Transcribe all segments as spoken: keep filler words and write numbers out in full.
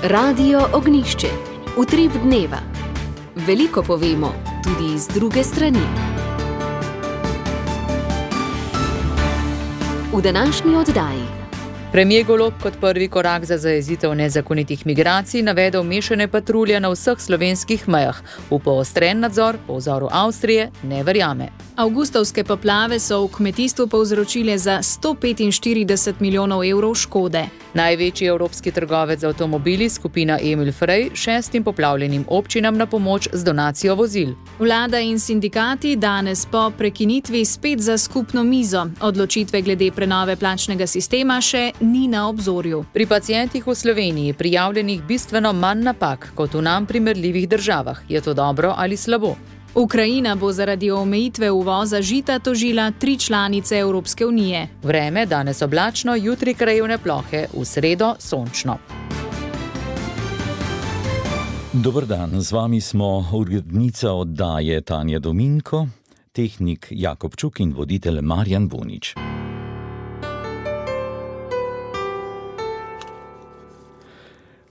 Radio Ognjišče. Utrip dneva. Veliko povemo, tudi iz druge strani. V današnji oddaji. Premier Golob kot prvi korak za zajezitev nezakonitih migracij navedel mešane patrulje na vseh slovenskih mejah. V poostren nadzor po vzoru Avstrije ne verjame. Avgustovske poplave so v kmetijstvu povzročile za sto petinštirideset milijonov evrov škode. Največji evropski trgovec z avtomobili, skupina Emil Frey, šestim poplavljenim občinam na pomoč z donacijo vozil. Vlada in sindikati danes po prekinitvi spet za skupno mizo. Odločitve glede prenove plačnega sistema še ni na obzorju. Pri pacientih v Sloveniji prijavljenih bistveno manj napak kot v nam primerljivih državah. Je to dobro ali slabo? Ukrajina bo zaradi omejitve uvoza žita tožila tri članice Evropske unije. Vreme danes oblačno, jutri krajevne plohe, v sredo sončno. Dober dan, z vami smo urednica oddaje Tanja Dominko, tehnik Jakob Čuk in voditelj Marjan Bunič.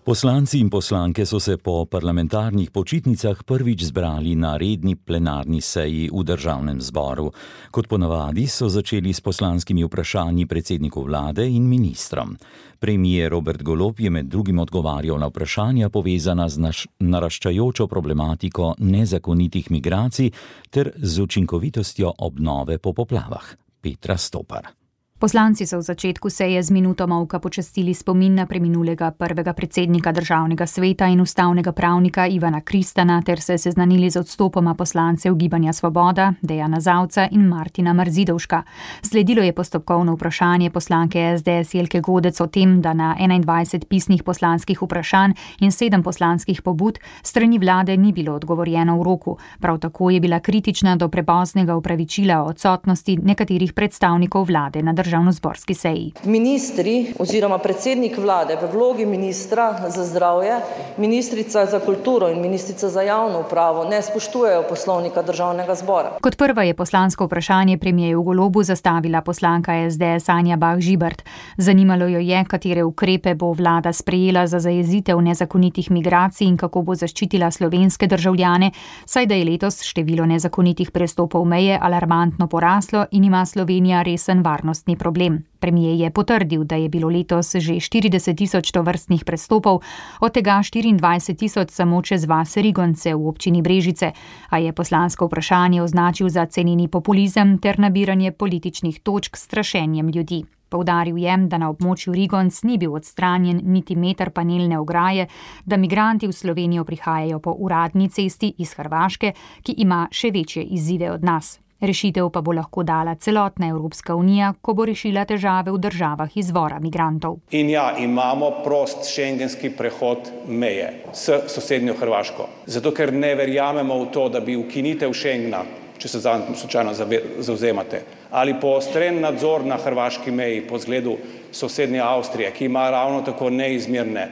Poslanci in poslanke so se po parlamentarnih počitnicah prvič zbrali na redni plenarni seji v državnem zboru. Kot ponavadi so začeli s poslanskimi vprašanji predsedniku vlade in ministrom. Premier Robert Golob je med drugim odgovarjal na vprašanja povezana z naš, naraščajočo problematiko nezakonitih migracij ter z učinkovitostjo obnove po poplavah. Petra Stopar. Poslanci so v začetku seje z minuto molka počastili spomin na preminulega prvega predsednika državnega sveta in ustavnega pravnika Ivana Kristana ter se seznanili z odstopoma poslancev Gibanja Svoboda, Dejana Zavca in Martina Marzidovška. Sledilo je postopkovno vprašanje poslanke es de es Jelke Godec o tem, da na enaindvajset pisnih poslanskih vprašanj in sedem poslanskih pobud strani vlade ni bilo odgovorjeno v roku. Prav tako je bila kritična do prepoznega opravičila o odsotnosti nekaterih predstavnikov vlade na državnozborski seji. Ministri oziroma predsednik vlade v vlogi ministra za zdravje, ministrica za kulturo in ministrica za javno upravo ne spoštujejo poslovnika državnega zbora. Kot prva je poslansko vprašanje premierju Golobu zastavila poslanka es de es Anja Bah Žibert. Zanimalo jo je, katere ukrepe bo vlada sprejela za zajezitev nezakonitih migracij in kako bo zaščitila slovenske državljane, saj da je letos število nezakonitih prestopov meje alarmantno poraslo in ima Slovenija resen varnostni problem. Premier je potrdil, da je bilo letos že štirideset tisoč tovrstnih prestopov, od tega štiriindvajset tisoč samo čez vas Rigonce v občini Brežice, a je poslansko vprašanje označil za ceneni populizem ter nabiranje političnih točk s strašenjem ljudi. Poudaril je, da na območju Rigonc ni bil odstranjen niti meter panelne ograje, da migranti v Slovenijo prihajajo po uradni cesti iz Hrvaške, ki ima še večje izzive od nas. Rešitev pa bo lahko dala celotna Evropska unija, ko bo rešila težave v državah izvora migrantov. In ja, imamo prost šengenski prehod meje s sosednjo Hrvaško. Zato, ker ne verjamemo v to, da bi ukinitev Schengena, če se zanj slučajno zavzemate, ali poostren nadzor na hrvaški meji po zgledu sosednje Avstrije, ki ima ravno tako neizmerne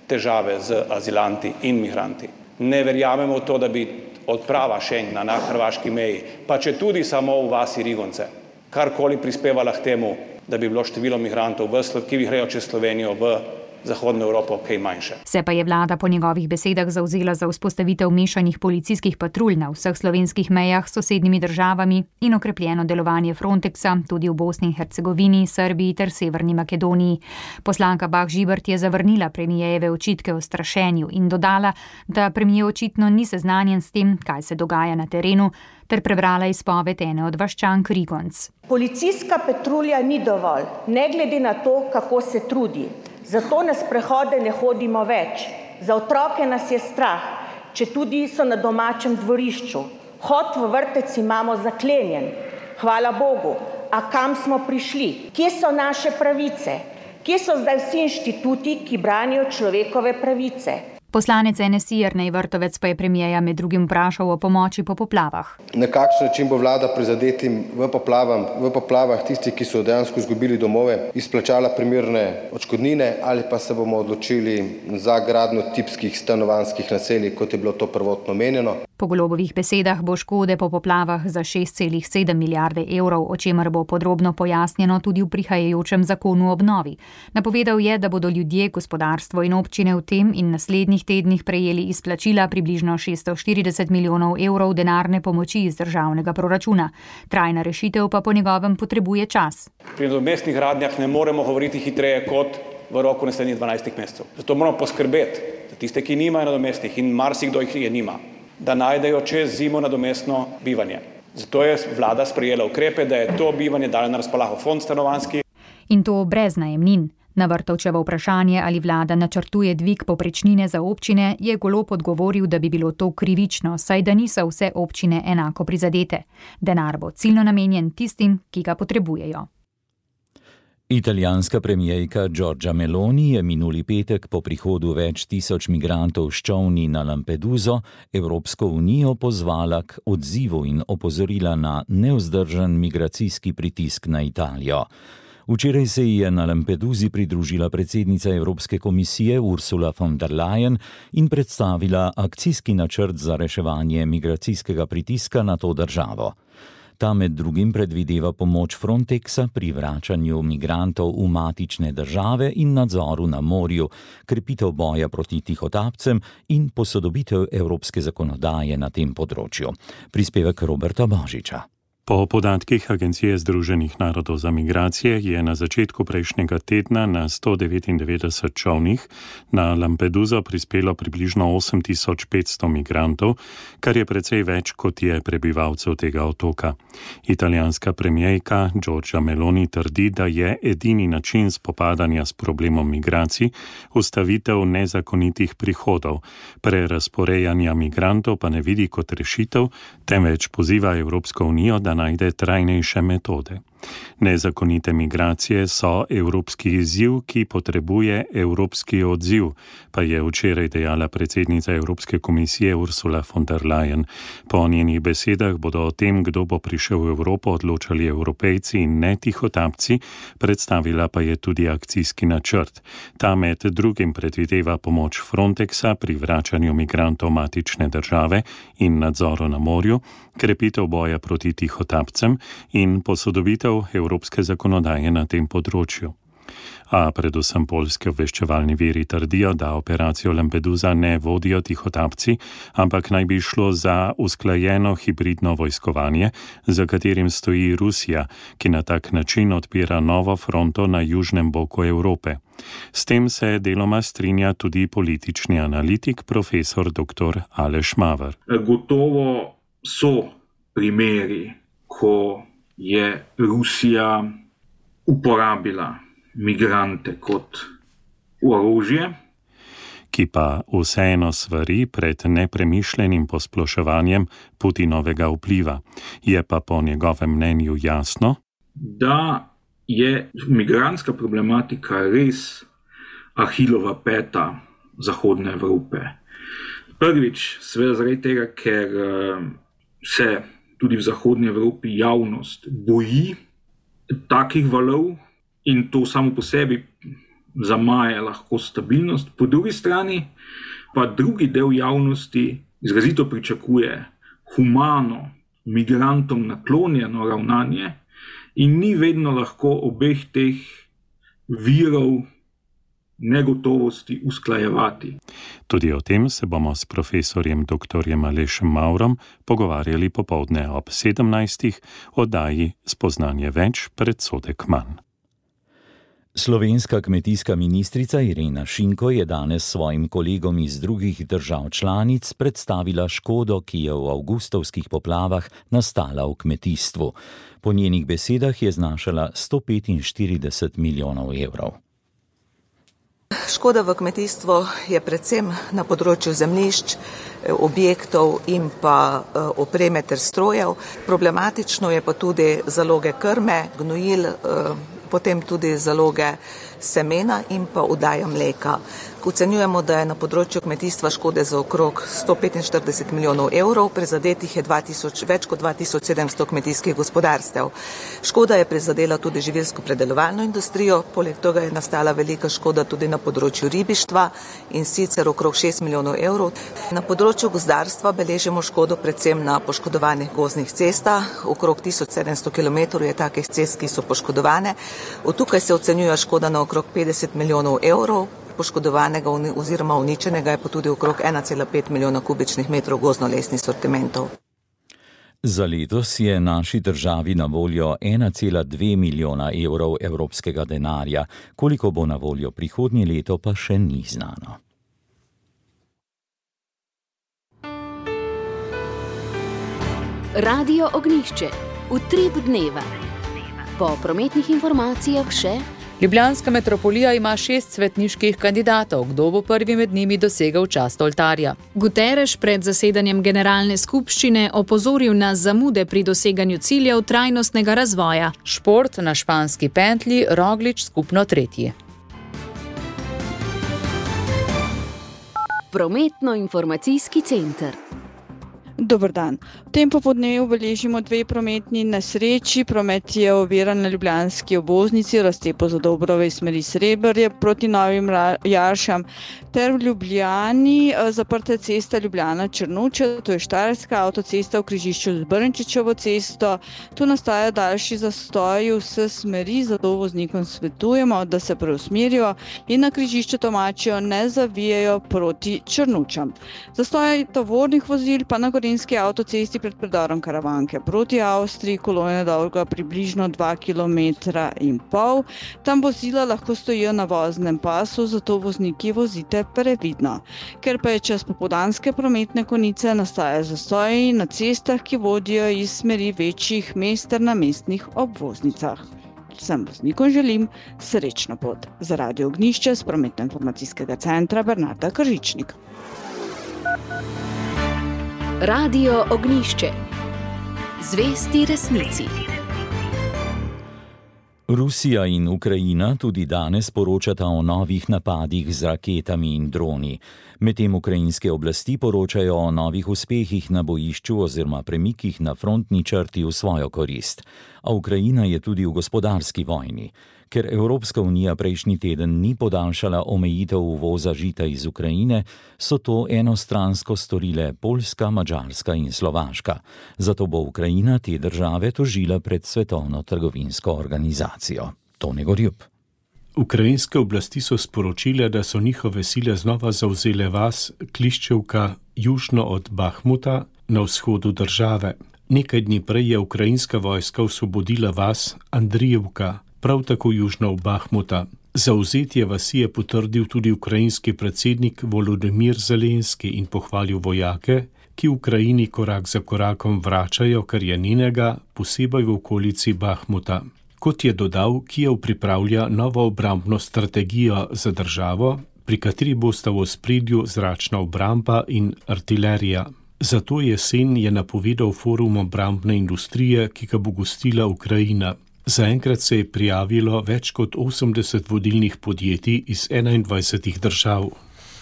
težave z azilanti in migranti. Ne verjamemo v to, da bi odprava Schengena na hrvaški meji, pa če tudi samo v vasi Rigonce, karkoli prispevala k temu, da bi bilo število migrantov, ki grejo čez Slovenijo v Zahodno Evropo, kaj manjše. Se pa je vlada po njegovih besedah zavzela za vzpostavitev mešanih policijskih patrulj na vseh slovenskih mejah s sosednjimi državami in okrepljeno delovanje Frontexa tudi v Bosni in Hercegovini, Srbiji ter Severni Makedoniji. Poslanka Bah Žibert je zavrnila premijejeve očitke o strašenju in dodala, da premier očitno ni seznanjen s tem, kaj se dogaja na terenu, ter prebrala izpoved ene od vaščank Rigonc. Policijska patrulja ni dovolj, ne glede na to, kako se trudi. Zato na sprehode ne hodimo več. Za otroke nas je strah, če tudi so na domačem dvorišču. Vhod v vrtec imamo zaklenjen. Hvala Bogu. A kam smo prišli? Kje so naše pravice? Kje so zdaj vsi inštituti, ki branijo človekove pravice? Poslanec N S I Jernej Vrtovec pa je premierja med drugim vprašal o pomoči po poplavah. Na kakšen način bo vlada prizadetim v, poplavam, v poplavah tisti, ki so dejansko izgubili domove, izplačala primerne odškodnine ali pa se bomo odločili za gradnjo tipskih stanovanjskih naselij, kot je bilo to prvotno menjeno. Po Golobovih besedah bo škode po poplavah za šest celih sedem milijarde evrov, o čemer bo podrobno pojasnjeno tudi v prihajajočem zakonu o obnovi. Napovedal je, da bodo ljudje, gospodarstvo in občine v tem in naslednjih tednih prejeli izplačila približno šeststo štirideset milijonov evrov denarne pomoči iz državnega proračuna. Trajna rešitev pa po njegovem potrebuje čas. Pri nadomestnih gradnjah ne moremo govoriti hitreje kot v roku naslednjih dvanajstih mesecev. Zato moramo poskrbeti za tiste, ki nimajo nadomestnih in marsikdo jih je nima, da najdejo čez zimo nadomestno bivanje. Zato je vlada sprejela ukrepe, da je to bivanje dala na razpolago fond stanovanjski. In to brez najemnin. Na Vrtovčevo vprašanje, ali vlada načrtuje dvig povprečnine za občine, je Golob odgovoril, da bi bilo to krivično, saj da niso vse občine enako prizadete. Denar bo ciljno namenjen tistim, ki ga potrebujejo. Italijanska premierka Giorgia Meloni je minuli petek po prihodu več tisoč migrantov s čolni na Lampeduso Evropsko unijo pozvala k odzivu in opozorila na nevzdržen migracijski pritisk na Italijo. Včeraj se ji je na Lampedusi pridružila predsednica Evropske komisije Ursula von der Leyen in predstavila akcijski načrt za reševanje migracijskega pritiska na to državo. Ta med drugim predvideva pomoč Frontexa pri vračanju migrantov v matične države in nadzoru na morju, krepitev boja proti tihotapcem in posodobitev evropske zakonodaje na tem področju. Prispevek Roberta Božiča. Po podatkih Agencije Združenih narodov za migracije je na začetku prejšnjega tedna na sto devetindevetdeset čolnih na Lampeduso prispelo približno osem tisoč petsto migrantov, kar je precej več, kot je prebivalcev tega otoka. Italijanska premierka Giorgia Meloni trdi, da je edini način spopadanja s problemom migracij ustavitev nezakonitih prihodov, prerazporejanja migrantov pa ne vidi kot rešitev, temveč poziva Evropsko unijo, da najde trajnejše metode. Nezakonite migracije so evropski izziv, ki potrebuje evropski odziv, pa je včeraj dejala predsednica Evropske komisije Ursula von der Leyen. Po njenih besedah bodo o tem, kdo bo prišel v Evropo, odločali Evropejci in ne tihotapci, predstavila pa je tudi akcijski načrt. Ta med drugim predvideva pomoč Frontexa pri vračanju migrantov matične države in nadzoru na morju, krepitev boja proti tihotapcem in posodobitev evropske zakonodaje na tem področju. A predvsem poljski obveščevalni viri trdijo, da operacijo Lampedusa ne vodijo tihotapci, ampak naj bi šlo za usklajeno hibridno vojskovanje, za katerim stoji Rusija, ki na tak način odpira novo fronto na južnem boku Evrope. S tem se deloma strinja tudi politični analitik profesor doktor Aleš Maver. Gotovo so primeri, ko je Rusija uporabila migrante kot orožje, ki pa vseeno svari pred nepremišljenim posploševanjem Putinovega vpliva. Je pa po njegovem mnenju jasno, da je migrantska problematika res Ahilova peta zahodne Evrope. Prvič, seveda zaradi tega, ker se tudi v zahodnji Evropi javnost boji takih valov in to samo po sebi zamaje lahko stabilnost. Po drugi strani pa drugi del javnosti izrazito pričakuje humano, migrantom naklonjeno ravnanje in ni vedno lahko obeh teh virov negotovosti usklajevati. Tudi o tem se bomo s profesorjem doktorjem Alešem Mavrom pogovarjali popoldne ob sedemnajstih, oddaji Spoznanje več, predsodek manj. Slovenska kmetijska ministrica Irena Šinko je danes svojim kolegom iz drugih držav članic predstavila škodo, ki je v avgustovskih poplavah nastala v kmetijstvu. Po njenih besedah je znašala sto petinštirideset milijonov evrov. Škoda v kmetijstvu je predvsem na področju zemljišč, objektov in pa opreme ter strojev. Problematično je pa tudi zaloge krme, gnojil, potem tudi zaloge semena in pa oddaja mleka. Ocenjujemo, da je na področju kmetijstva škode za okrog sto petinštirideset milijonov evrov, prizadetih je dva tisoč, več kot dva tisoč sedemsto kmetijskih gospodarstev. Škoda je prizadela tudi živilsko predelovalno industrijo, poleg tega je nastala velika škoda tudi na področju ribištva in sicer okrog šest milijonov evrov. Na področju gozdarstva beležimo škodo predvsem na poškodovanih gozdnih cestah, okrog tisoč sedemsto kilometrov je takih cest, ki so poškodovane. Od tukaj se ocenjuje škoda na okrog petdeset milijonov evrov. Poškodovanega oziroma uničenega je pa tudi okrog ena cela pet milijona kubičnih metrov gozdno-lesnih sortimentov. Za letos je naši državi na voljo ena cela dve milijona evrov evropskega denarja. Koliko bo na voljo prihodnje leto, pa še ni znano. Radio Ognjišče. Utrip dneva. Po prometnih informacijah še... Ljubljanska metropolija ima šest svetniških kandidatov. Kdo bo prvi med njimi dosegel čast oltarja? Guterres pred zasedanjem generalne skupščine opozoril na zamude pri doseganju ciljev trajnostnega razvoja. Šport na španski pentlji, Roglič skupno tretji. Prometno-informacijski center. Dober dan. V tem popoldnevu beležimo dve prometni nesreči. Promet je oviran na ljubljanski obvoznici raztepo za Dobrove iz smeri Srebrje proti Novim Jaršam ter v Ljubljani zaprta cesta Ljubljana-Črnuče, to je Štajerska avtocesta v križišču z Brnčičevo cesto. Tu nastaja daljši zastoj vse smeri, zato voznikom svetujemo, da se preusmerijo in na križišču Tomačijo ne zavijajo proti Črnučam. Zastoj tovornih vozil pa na Gorenjski avtocesti pred predorom Karavanke proti Avstriji, kolona dolga približno dva kilometra in pol. Tam vozila lahko stojijo na voznem pasu, zato vozniki vozite previdno. Ker pa je čas popoldanske prometne konice, nastaja zastoji na cestah, ki vodijo iz smeri večjih mest ter na mestnih obvoznicah. Vsem voznikom želim srečno pot. Za Radio Ognjišče z prometno-informacijskega centra Bernarda Kržičnik. Radio Ognjišče. Zvesti resnici. Rusija in Ukrajina tudi danes poročata o novih napadih z raketami in droni. Medtem ukrajinske oblasti poročajo o novih uspehih na bojišču oziroma premikih na frontni črti v svojo korist. A Ukrajina je tudi v gospodarski vojni. Ker Evropska unija prejšnji teden ni podaljšala omejitev uvoza žita iz Ukrajine, so to enostransko storile Poljska, Madžarska in Slovaška. Zato bo Ukrajina te države tožila pred Svetovno trgovinsko organizacijo. Tone Gorjup. Ukrajinske oblasti so sporočile, da so njihove sile znova zavzele vas Kliščevka južno od Bahmuta na vzhodu države. Nekaj dni prej je ukrajinska vojska osvobodila vas Andrijevka, prav tako južno od Bahmuta. Zavzetje vasi je potrdil tudi ukrajinski predsednik Volodymyr Zelenski in pohvalil vojake, ki v Ukrajini korak za korakom vračajo, kar je njenega, posebej v okolici Bahmuta. Kot je dodal, Kijev pripravlja novo obrambno strategijo za državo, pri kateri bosta v ospredju zračna obramba in artilerija. Zato jesen je napovedal forum obrambne industrije, ki ga bo gostila Ukrajina. Zaenkrat se je prijavilo več kot osemdeset vodilnih podjetij iz enaindvajsetih držav.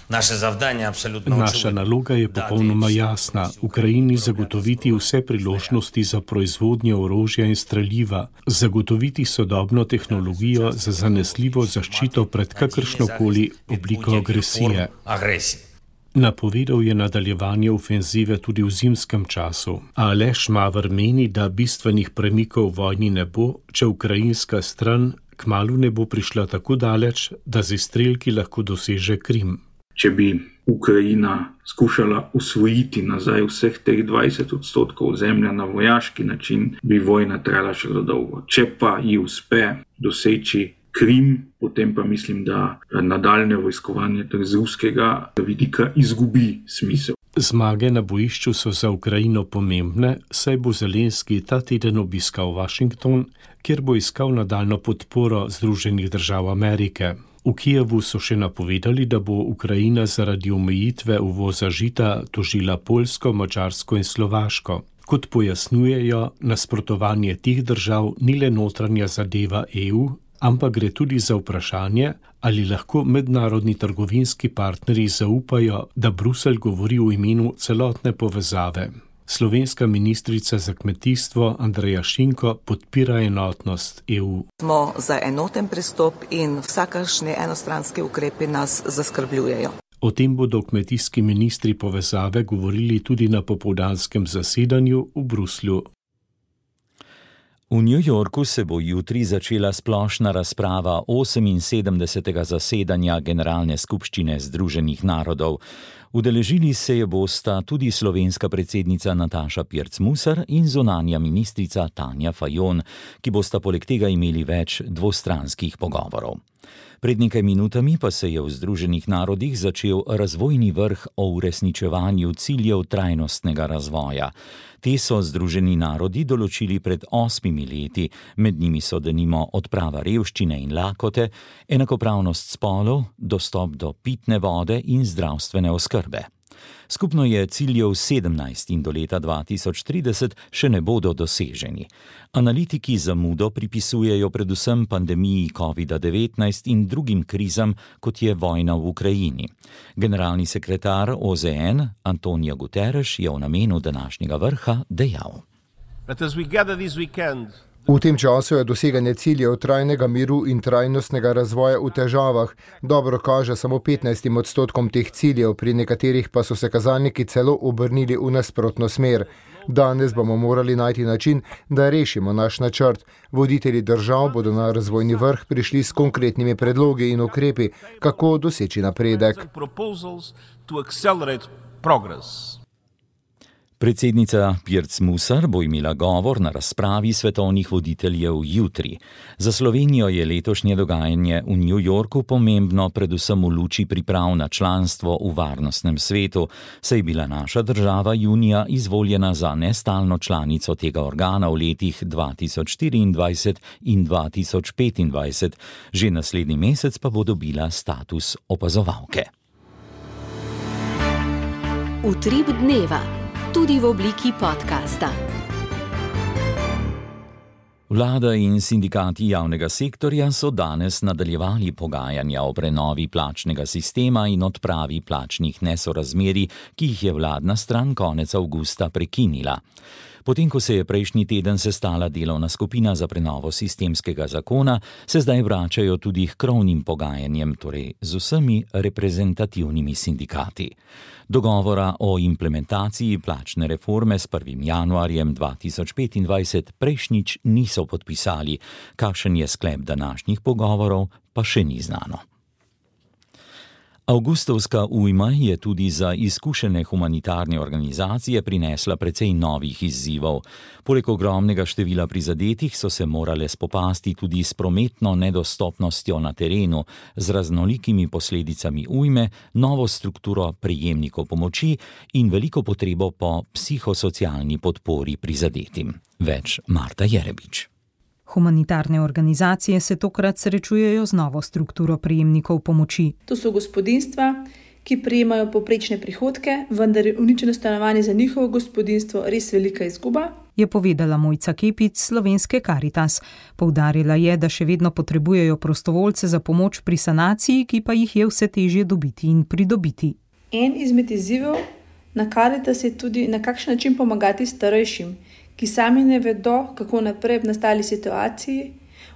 Naša naloga je popolnoma jasna. Ukrajini zagotoviti vse priložnosti za proizvodnjo orožja in streljiva, zagotoviti sodobno tehnologijo za zanesljivo zaščito pred kakršnokoli obliko agresije. Napovedal je nadaljevanje ofenzive tudi v zimskem času, a Aleš Maver meni, da bistvenih premikov v vojni ne bo, če ukrajinska stran kmalu ne bo prišla tako daleč, da z izstrelki lahko doseže Krim. Če bi Ukrajina skušala usvojiti nazaj vseh teh dvajset odstotkov zemlja na vojaški način, bi vojna trajala še dolgo. Če pa ji uspe doseči Krim, potem pa mislim, da nadaljne vojskovanje z ruskega vidika izgubi smisel. Zmage na bojišču so za Ukrajino pomembne, saj bo Zelenski ta teden obiskal Washington, kjer bo iskal nadaljno podporo Združenih držav Amerike. V Kijevu so še napovedali, da bo Ukrajina zaradi omejitve uvoza žita tožila Poljsko, Madžarsko in Slovaško. Kot pojasnjujejo, nasprotovanje teh držav ni le notranja zadeva E U, ampak gre tudi za vprašanje, ali lahko mednarodni trgovinski partnerji zaupajo, da Bruselj govori v imenu celotne povezave. Slovenska ministrica za kmetijstvo Andreja Šinko podpira enotnost E U. Smo za enoten pristop in vsakršne enostranske ukrepe nas zaskrbljujejo. O tem bodo kmetijski ministri povezave govorili tudi na popoldanskem zasedanju v Bruslju. V New Yorku se bo jutri začela splošna razprava oseminsedemdesetega zasedanja Generalne skupščine Združenih narodov. Udeležili se je bosta tudi slovenska predsednica Nataša Pirc Musar in zunanja ministrica Tanja Fajon, ki bosta poleg tega imeli več dvostranskih pogovorov. Pred nekaj minutami pa se je v Združenih narodih začel razvojni vrh o uresničevanju ciljev trajnostnega razvoja. Te so Združeni narodi določili pred osmimi leti, med njimi so denimo odprava revščine in lakote, enakopravnost spolov, dostop do pitne vode in zdravstvene oskrbe. Skupno je ciljev sedemnajst in do leta dva tisoč trideset še ne bodo doseženi. Analitiki zamudo pripisujejo predvsem pandemiji kovida devetnajst in drugim krizam, kot je vojna v Ukrajini. Generalni sekretar O Z N Antonio Guterres je v namenu današnjega vrha dejal: V tem času je doseganje ciljev trajnega miru in trajnostnega razvoja v težavah. Dobro kaže samo petnajstim odstotkom teh ciljev, pri nekaterih pa so se kazalniki celo obrnili v nasprotno smer. Danes bomo morali najti način, da rešimo naš načrt. Voditelji držav bodo na razvojni vrh prišli s konkretnimi predlogi in ukrepi, kako doseči napredek. Predsednica Pirc Musar bo imela govor na razpravi svetovnih voditeljev jutri. Za Slovenijo je letošnje dogajanje v New Yorku pomembno predvsem v luči priprav na članstvo v varnostnem svetu, saj je bila naša država junija izvoljena za nestalno članico tega organa v letih dva tisoč štiriindvajset in dva tisoč petindvajset. Že naslednji mesec pa bo dobila status opazovalke. Utrip dneva. Tudi v obliki podcasta. Vlada in sindikati javnega sektorja so danes nadaljevali pogajanja o prenovi plačnega sistema in odpravi plačnih nesorazmerij, ki jih je vladna stran konec avgusta prekinila. Potem, ko se je prejšnji teden sestala delovna skupina za prenovo sistemskega zakona, se zdaj vračajo tudi k krovnim pogajanjem, torej z vsemi reprezentativnimi sindikati. Dogovora o implementaciji plačne reforme s prvim januarjem dva tisoč petindvajset prejšnjič niso podpisali. Kakšen je sklep današnjih pogovorov, pa še ni znano. Avgustovska ujma je tudi za izkušene humanitarne organizacije prinesla precej novih izzivov. Poleg ogromnega števila prizadetih so se morale spopasti tudi s prometno nedostopnostjo na terenu, z raznolikimi posledicami ujme, novo strukturo prejemnikov pomoči in veliko potrebo po psihosocialni podpori prizadetim. Več Marta Jerebič. Humanitarne organizacije se tokrat srečujejo z novo strukturo prejemnikov pomoči. To so gospodinjstva, ki prejemajo povprečne prihodke, vendar je uničeno stanovanje za njihovo gospodinjstvo res velika izguba, je povedala Mojca Kepic s Slovenske Karitas. Poudarila je, da še vedno potrebujejo prostovoljce za pomoč pri sanaciji, ki pa jih je vse težje dobiti in pridobiti. En izmed izzivov na Karitas je tudi, na kakšen način pomagati starejšim, ki sami ne vedo, kako naprej v nastali situaciji.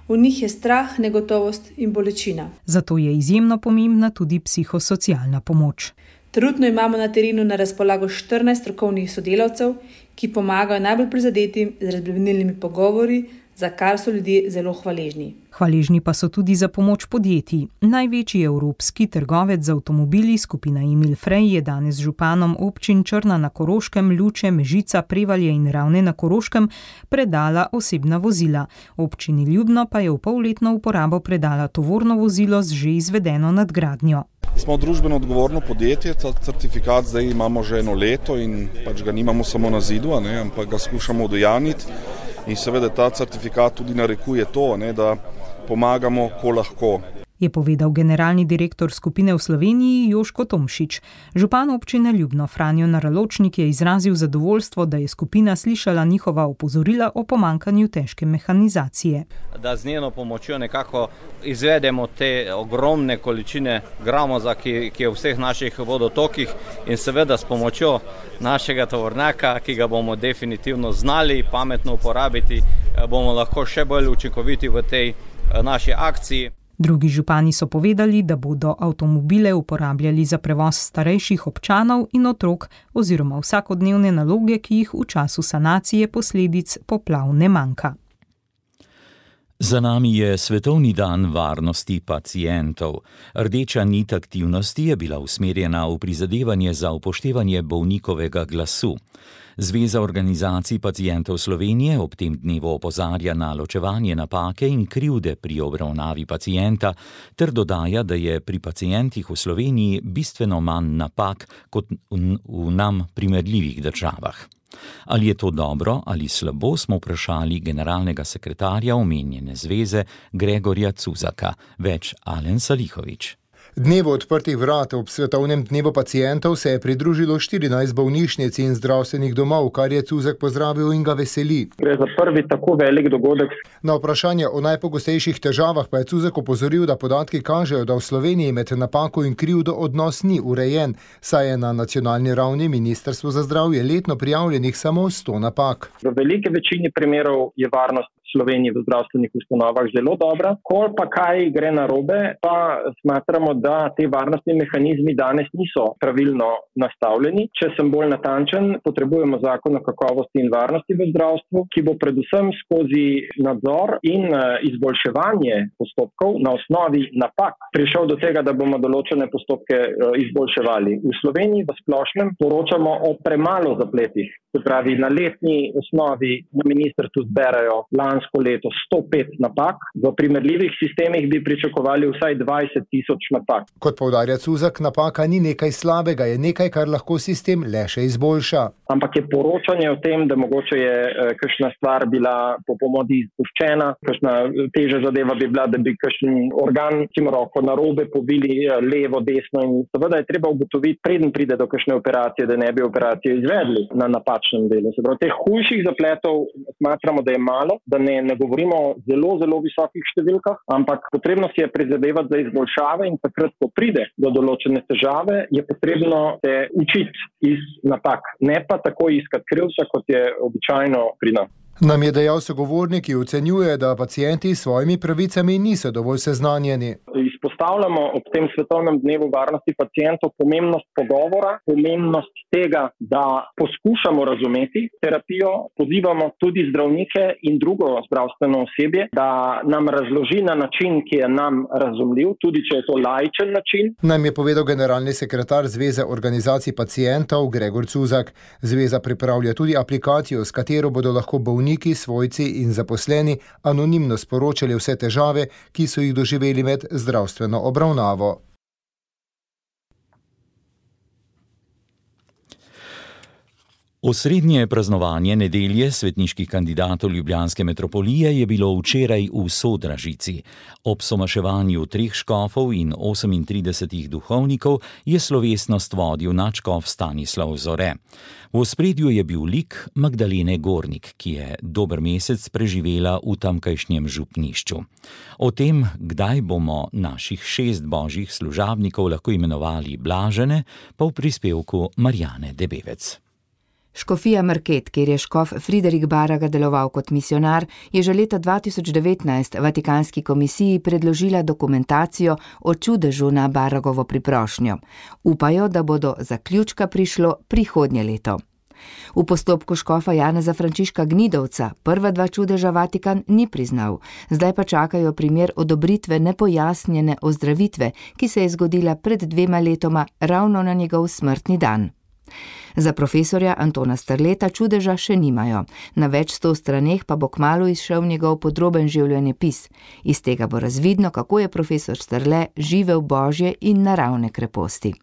V njih je strah, negotovost in bolečina. Zato je izjemno pomembna tudi psihosocialna pomoč. Trenutno imamo na terenu na razpolago štirinajst strokovnih sodelavcev, ki pomagajo najbolj prizadetim z razbremenilnimi pogovori, za kar so ljudje zelo hvaležni. Hvaležni pa so tudi za pomoč podjetij. Največji evropski trgovec z avtomobili, skupina Emil Frey, je danes županom občin Črna na Koroškem, Luče, Mežica, Prevalje in Ravne na Koroškem predala osebna vozila. Občini Ljubno pa je v polletno uporabo predala tovorno vozilo z že izvedeno nadgradnjo. Smo družbeno odgovorno podjetje, ta certifikat zdaj imamo že eno leto in pač ga nimamo samo na zidu, ne, ampak ga skušamo udejanjiti. In seveda ta certifikat tudi narekuje to, ne, da pomagamo, ko lahko. je povedal generalni direktor skupine v Sloveniji Joško Tomšič. Župan občine Ljubno Franjo Naraločnik je izrazil zadovoljstvo, da je skupina slišala njihova opozorila o pomankanju težke mehanizacije. Da z njeno pomočjo nekako izvedemo te ogromne količine gramoza, ki, ki je v vseh naših vodotokih, in seveda s pomočjo našega tovornjaka, ki ga bomo definitivno znali pametno uporabiti, bomo lahko še bolj učinkoviti v tej naši akciji. Drugi župani so povedali, da bodo avtomobile uporabljali za prevoz starejših občanov in otrok oziroma vsakodnevne naloge, ki jih v času sanacije posledic poplav ne manjka. Za nami je Svetovni dan varnosti pacientov. Rdeča nit aktivnosti je bila usmerjena v prizadevanje za upoštevanje bolnikovega glasu. Zveza organizacij pacientov Slovenije ob tem dnevu opozarja na ločevanje napake in krivde pri obravnavi pacienta ter dodaja, da je pri pacientih v Sloveniji bistveno manj napak kot v nam primerljivih državah. Ali je to dobro ali slabo, smo vprašali generalnega sekretarja omenjene zveze Gregorja Cuzaka. Več Alen Salihovič. Dnevu odprtih vrat ob Svetovnem dnevu pacientov se je pridružilo štirinajst bolnišnic in zdravstvenih domov, kar je Cuzak pozdravil in ga veseli. Gre za prvi tako velik dogodek. Na vprašanje o najpogostejših težavah pa je Cuzak opozoril, da podatki kažejo, da v Sloveniji med napako in krivdo odnos ni urejen, saj je na nacionalni ravni Ministrstvo za zdravje letno prijavljenih samo sto napak. V veliki večini primerov je varnost v Sloveniji v zdravstvenih ustanovah zelo dobra. Ko pa kaj gre narobe, pa smatramo, da te varnostni mehanizmi danes niso pravilno nastavljeni. Če sem bolj natančen, potrebujemo zakon o kakovosti in varnosti v zdravstvu, ki bo predvsem skozi nadzor in izboljševanje postopkov na osnovi napak prišel do tega, da bomo določene postopke izboljševali. V Sloveniji v splošnem poročamo o premalo zapletih. Se pravi, na letni osnovi na ministrstvu zberajo lansko leto sto pet napak, v primerljivih sistemih bi pričakovali vsaj dvajset tisoč napak. Kot poudarja Cuzak, napaka ni nekaj slabega, je nekaj, kar lahko sistem le še izboljša. Ampak je poročanje o tem, da mogoče je eh, kakšna stvar bila po pomodi izpuščena, kakšna težja zadeva bi bila, da bi kakšen organ, ki ima roko narobe, pobili levo, desno, in seveda je treba ugotoviti, preden pride do kakšne operacije, da ne bi operacijo izvedli na napačnem delu. Se pravi, teh hujših zapletov smatramo, da je malo, da ne, ne govorimo o zelo, zelo visokih številkah, ampak potrebno si je prizadevati za izboljšave in takrat, ko pride do določene težave, je potrebno se učiti iz napak, ne pa tako iskati krivca, kot je običajno pri nas. Nam je dejal sogovornik, ki ocenjuje, da pacienti s svojimi pravicami niso dovolj seznanjeni. Izpostavljamo ob tem Svetovnem dnevu varnosti pacientov pomembnost pogovora, pomembnost tega, da poskušamo razumeti terapijo, pozivamo tudi zdravnike in drugo zdravstveno osebje, da nam razloži na način, ki je nam razumljiv, tudi če je to laičen način. Nam je povedal generalni sekretar Zveze organizacij pacientov Gregor Cuzak. Zveza pripravlja tudi aplikacijo, s katero bodo lahko bolniki, svojci in zaposleni anonimno sporočali vse težave, ki so jih doživeli med zdravstveno obravnavo. Osrednje praznovanje nedelje svetniških kandidatov ljubljanske metropolije je bilo včeraj v Sodražici. Ob somaševanju treh škofov in osemintridesetih duhovnikov je slovesnost vodil nadškof Stanislav Zore. V ospredju je bil lik Magdalene Gornik, ki je dober mesec preživela v tamkajšnjem župnišču. O tem, kdaj bomo naših šest božjih služabnikov lahko imenovali blažene, pa v prispevku Marjane Debevec. Škofija Market, kjer je škof Friderik Baraga deloval kot misionar, je že leta dva tisoč devetnajst Vatikanski komisiji predložila dokumentacijo o čudežu na Baragovo priprošnjo. Upajo, da bo do zaključka prišlo prihodnje leto. V postopku škofa Janeza Frančiška Gnidovca prva dva čudeža Vatikan ni priznal, zdaj pa čakajo primer odobritve nepojasnjene ozdravitve, ki se je zgodila pred dvema letoma ravno na njegov smrtni dan. Za profesorja Antona Strleta čudeža še nimajo. Na več sto straneh pa bo kmalu izšel njegov podroben življenjepis. Iz tega bo razvidno, kako je profesor Strle živel božje in naravne kreposti.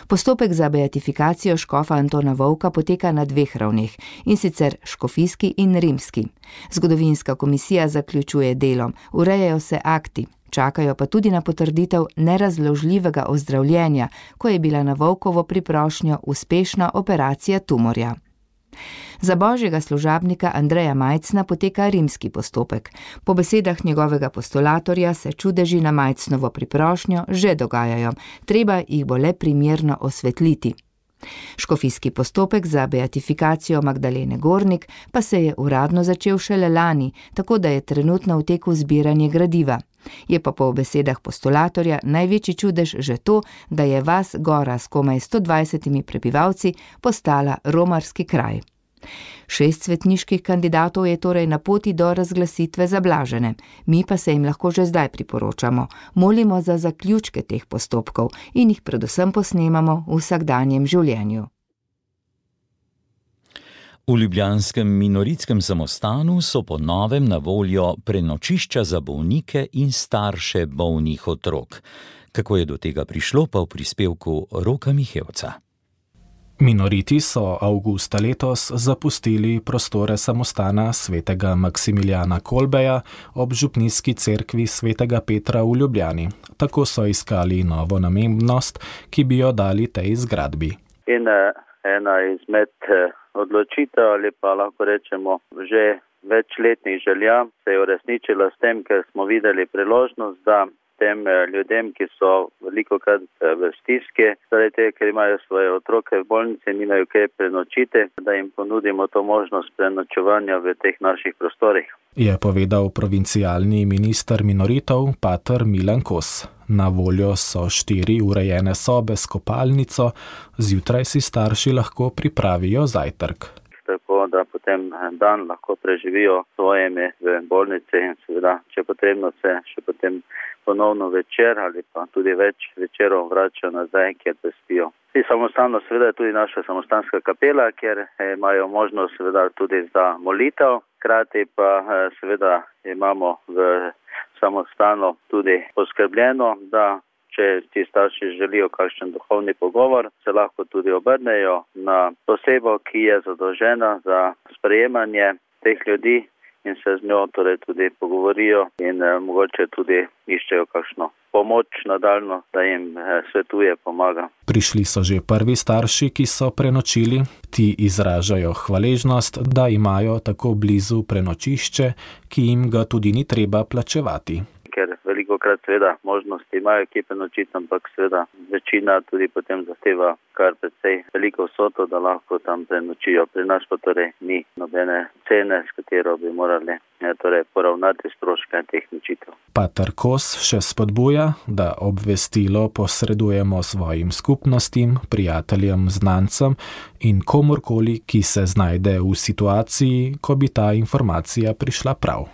Postopek za beatifikacijo škofa Antona Vovka poteka na dveh ravneh, in sicer škofijski in rimski. Zgodovinska komisija zaključuje delo, urejajo se akti. Čakajo pa tudi na potrditev nerazložljivega ozdravljenja, ko je bila na Volkovo priprošnjo uspešna operacija tumorja. Za božjega služabnika Andreja Majcna poteka rimski postopek. Po besedah njegovega postulatorja se čudeži na Majcnovo priprošnjo že dogajajo, treba jih bo le primerno osvetliti. Škofijski postopek za beatifikacijo Magdalene Gornik pa se je uradno začel šele lani, tako da je trenutno v teku zbiranje gradiva. Je pa po besedah postulatorja največji čudež že to, da je vas Gora s komaj sto dvajsetimi prebivalci postala romarski kraj. Šest svetniških kandidatov je torej na poti do razglasitve zablažene, mi pa se jim lahko že zdaj priporočamo, molimo za zaključke teh postopkov in jih predvsem posnemamo v vsakdanjem življenju. V ljubljanskem Minoritskem samostanu so po novem na voljo prenočišča za bolnike in starše bolnih otrok. Kako je do tega prišlo, pa v prispevku Roka Mihevca. Minoriti so avgusta letos zapustili prostore samostana svetega Maksimiljana Kolbeja ob župnijski cerkvi svetega Petra v Ljubljani. Tako so iskali novo namembnost, ki bi jo dali tej zgradbi. In ena izmed odločitev ali pa lahko rečemo že večletnih želja se je uresničila s tem, ker smo videli priložnost, da tem ljudem, ki so velikokrat v stiski, zaradi tega, ker imajo svoje otroke v bolnici in nimajo kaj prenočiti, da jim ponudimo to možnost prenočevanja v teh naših prostorih. Je povedal provincialni minister minoritov, pater Milan Kos. Na voljo so štiri urejene sobe s kopalnico, zjutraj si starši lahko pripravijo zajtrk. Tako da potem dan lahko preživijo svojimi v bolnici in seveda, če potrebno se še potem ponovno večer ali pa tudi več večerov vračajo nazaj, kjer spijo. Ti samostano seveda je tudi naša samostanska kapela, kjer imajo možnost seveda tudi za molitev, hkrati pa seveda imamo v samostanu tudi poskrbljeno, da če ti starši želijo kakšen duhovni pogovor, se lahko tudi obrnejo na osebo, ki je zadolžena za sprejemanje teh ljudi in se z njo torej tudi pogovorijo in eh, mogoče tudi iščejo kakšno pomoč nadaljno, da jim eh, svetuje, pomaga. Prišli so že prvi starši, ki so prenočili. Ti izražajo hvaležnost, da imajo tako blizu prenočišče, ki jim ga tudi ni treba plačevati. Ker velikokrat seveda možnosti imajo kje prenočiti, ampak seveda večina tudi potem zahteva kar precej veliko vsoto, da lahko tam prenočijo. Pri nas pa torej ni nobene cene, s katero bi morali ja, torej poravnati stroške teh nočitev. Pater Kos še spodbuja, da obvestilo posredujemo svojim skupnostim, prijateljem, znancem in komorkoli, ki se znajde v situaciji, ko bi ta informacija prišla prav.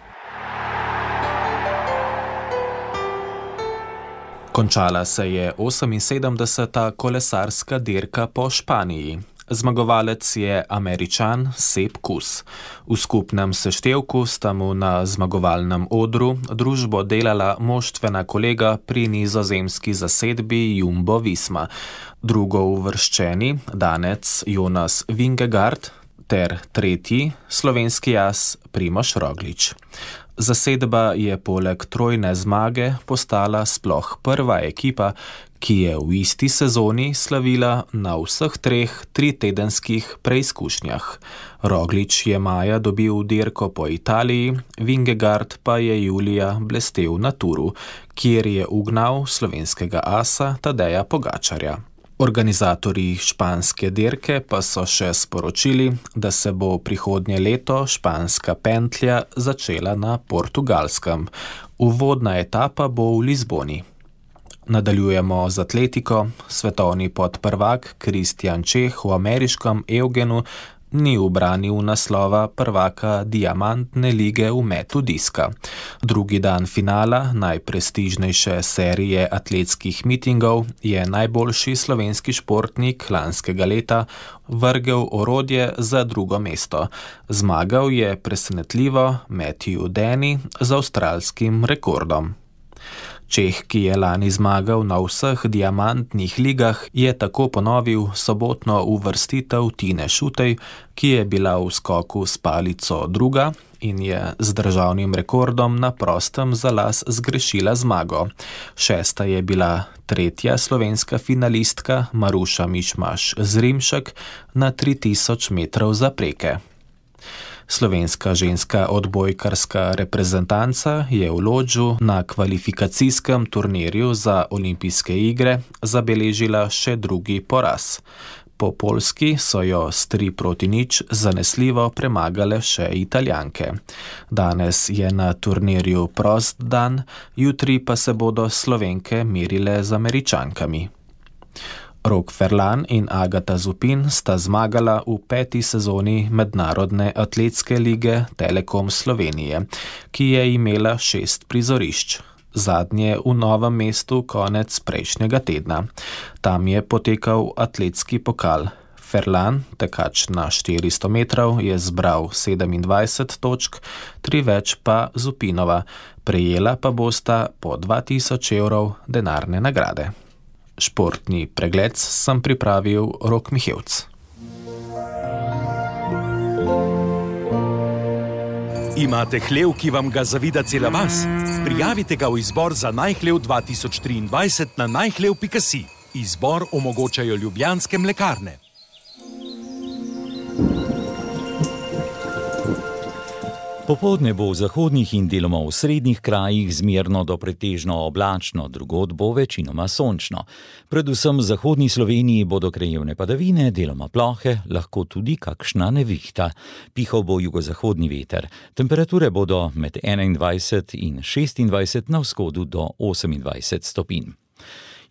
Končala se je oseminsedemdeseta kolesarska dirka po Španiji. Zmagovalec je Američan Sepp Kuss. V skupnem seštevku sta mu na zmagovalnem odru družbo delala moštvena kolega pri nizozemski zasedbi Jumbo Visma. Drugo uvrščeni, danec Jonas Vingegaard, ter tretji, slovenski as Primož Roglič. Zasedba je poleg trojne zmage postala sploh prva ekipa, ki je v isti sezoni slavila na vseh treh tritedenskih preizkušnjah. Roglič je maja dobil dirko po Italiji, Vingegaard pa je julija blestel na Turu, kjer je ugnal slovenskega asa Tadeja Pogačarja. Organizatorji španske dirke pa so še sporočili, da se bo prihodnje leto španska pentlja začela na Portugalskem. Uvodna etapa bo v Lizboni. Nadaljujemo z atletiko. Svetovni podprvak Kristjan Čeh v ameriškem Eugenu ni ubranil naslova prvaka diamantne lige v metu diska. Drugi dan finala najprestižnejše serije atletskih mitingov je najboljši slovenski športnik lanskega leta vrgel orodje za drugo mesto. Zmagal je presenetljivo Matthew Denny z avstralskim rekordom. Čeh, ki je lani zmagal na vseh diamantnih ligah, je tako ponovil sobotno uvrstitev Tine Šutej, ki je bila v skoku s palico druga, in je z državnim rekordom na prostem za las zgrešila zmago. Šesta je bila tretja slovenska finalistka Maruša Mišmaš Zrimšek na tri tisoč metrov zapreke. Slovenska ženska odbojkarska reprezentanca je v Lodžu na kvalifikacijskem turnirju za olimpijske igre zabeležila še drugi poraz. Po Poljski so jo s tri proti nič zanesljivo premagale še Italijanke. Danes je na turnirju prost dan, jutri pa se bodo Slovenke merile z Američankami. Rok Ferlan in Agata Zupin sta zmagala v peti sezoni Mednarodne atletske lige Telekom Slovenije, ki je imela šest prizorišč. Zadnje v Novem mestu konec prejšnjega tedna. Tam je potekal atletski pokal. Ferlan, tekač na štiristo metrov, je zbral sedemindvajset točk, tri več pa Zupinova. Prejela pa bosta po dva tisoč evrov denarne nagrade. Športni pregled sem pripravil Rok Mihevc. Imate hlev, ki vam ga zavida cela vas? Prijavite ga v izbor za najhlev dva tisoč triindvajset na najhlev pika si. Izbor omogočajo Ljubljanske mlekarne. Popoldne bo v zahodnih in deloma v srednjih krajih zmerno do pretežno oblačno, drugod bo večinoma sončno. Predvsem v zahodni Sloveniji bodo krajevne padavine, deloma plohe, lahko tudi kakšna nevihta. Pihal bo jugozahodni veter. Temperature bodo med enaindvajset in šestindvajset, na vzhodu do osemindvajset stopinj.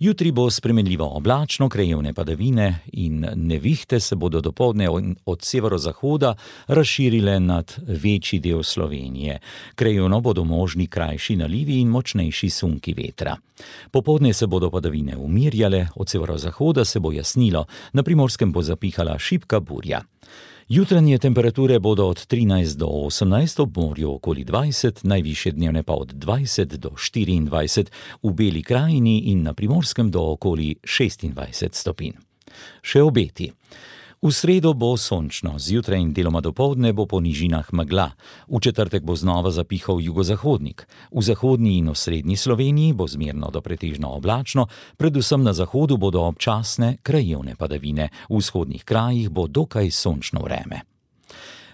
Jutri bo spremenljivo oblačno, krajevne padavine in nevihte se bodo dopoldne od severozahoda razširile nad večji del Slovenije. Krajevno bodo možni krajši nalivi in močnejši sunki vetra. Popoldne se bodo padavine umirjale, od severozahoda se bo jasnilo, na Primorskem bo zapihala šibka burja. Jutranje temperature bodo od trinajst do osemnajst, ob morju okoli dvajset, najvišje dnevne pa od dvajset do štiriindvajset, v Beli krajini in na Primorskem do okoli šestindvajset stopinj. Še obeti. V sredo bo sončno, zjutraj in deloma dopoldne bo po nižinah megla. V četrtek bo znova zapihal jugozahodnik. V zahodni in osrednji Sloveniji bo zmerno do pretežno oblačno, predvsem na zahodu bodo občasne krajevne padavine. V vzhodnih krajih bo dokaj sončno vreme.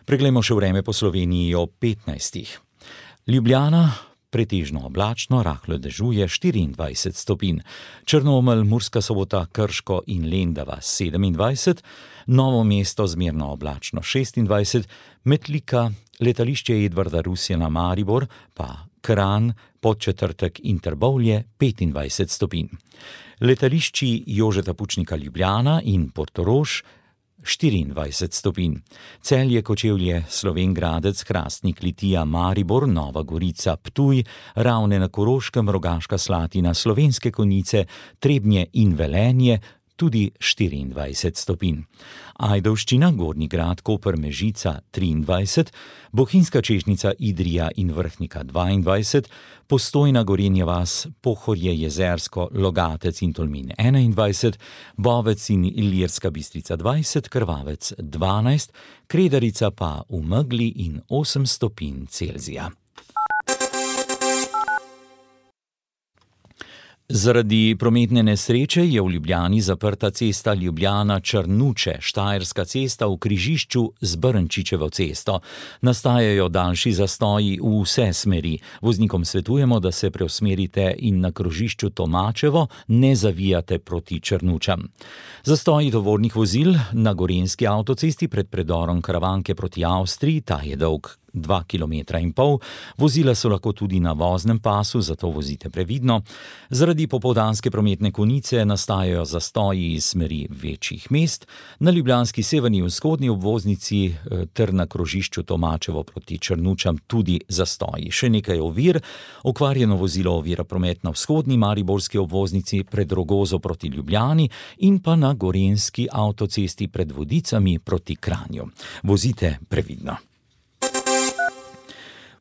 Preglejmo še vreme po Sloveniji ob petnajstih. Ljubljana, pretežno oblačno, rahlo dežuje, štiriindvajset stopinj. Črnomelj, Murska Sobota, Krško in Lendava sedemindvajset, Novo mesto zmerno oblačno šestindvajset, Metlika, letališče Edvarda Rusjana Maribor, pa Kranj, Podčetrtek in Trbovlje petindvajset stopinj. Letališči Jožeta Pučnika Ljubljana in Portorož štiriindvajset stopinj. Celje, Kočevlje, Slovenj Gradec, Hrastnik, Litija, Maribor, Nova Gorica, Ptuj, Ravne na Koroškem, Rogaška Slatina, Slovenske Konjice, Trebnje in Velenje tudi štiriindvajset stopinj. Ajdovščina, Gornji Grad, Koper, Mežica triindvajset, Bohinjska Češnjica, Idrija in Vrhnika dvaindvajset, Postojna, Gorenja vas, Pohorje, Jezersko, Logatec in Tolmin enaindvajset, Bovec in Ilirska Bistrica dvajset, Krvavec dvanajst, Kredarica pa v megli in osem stopinj Celzija. Zaradi prometne nesreče je v Ljubljani zaprta cesta Ljubljana-Črnuče, Štajerska cesta v križišču z Brnčičevo cesto. Nastajajo daljši zastoji v vse smeri. Voznikom svetujemo, da se preusmerite in na krožišču Tomačevo ne zavijate proti Črnučam. Zastoji tovornih vozil na Gorenjski avtocesti pred predorom Karavanke proti Avstriji, ta je dolg dva kilometra in pol. Vozila so lahko tudi na voznem pasu, zato vozite previdno. Zaradi popoldanske prometne konice nastajajo zastoji iz smeri večjih mest. Na ljubljanski severni in vzhodni obvoznici ter na krožišču Tomačevo proti Črnučam tudi zastoji. Še nekaj ovir. Okvarjeno vozilo ovira promet na vzhodni mariborski obvoznici pred Rogozo proti Ljubljani in pa na Gorenjski avtocesti pred Vodicami proti Kranju. Vozite previdno.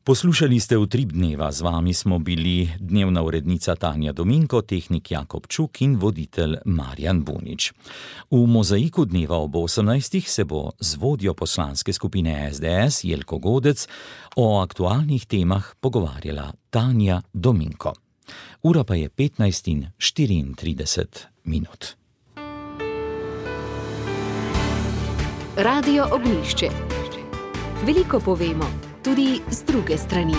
Poslušali ste Utrip dneva, z vami smo bili dnevna urednica Tanja Dominko, tehnik Jakob Čuk in voditelj Marjan Bunič. V mozaiku dneva ob osemnajstih se bo z vodjo poslanske skupine S D S Jelko Godec o aktualnih temah pogovarjala Tanja Dominko. Ura pa je petnajst in štiriintrideset minut. Radio Ognjišče. Veliko povemo, tudi z druge strani.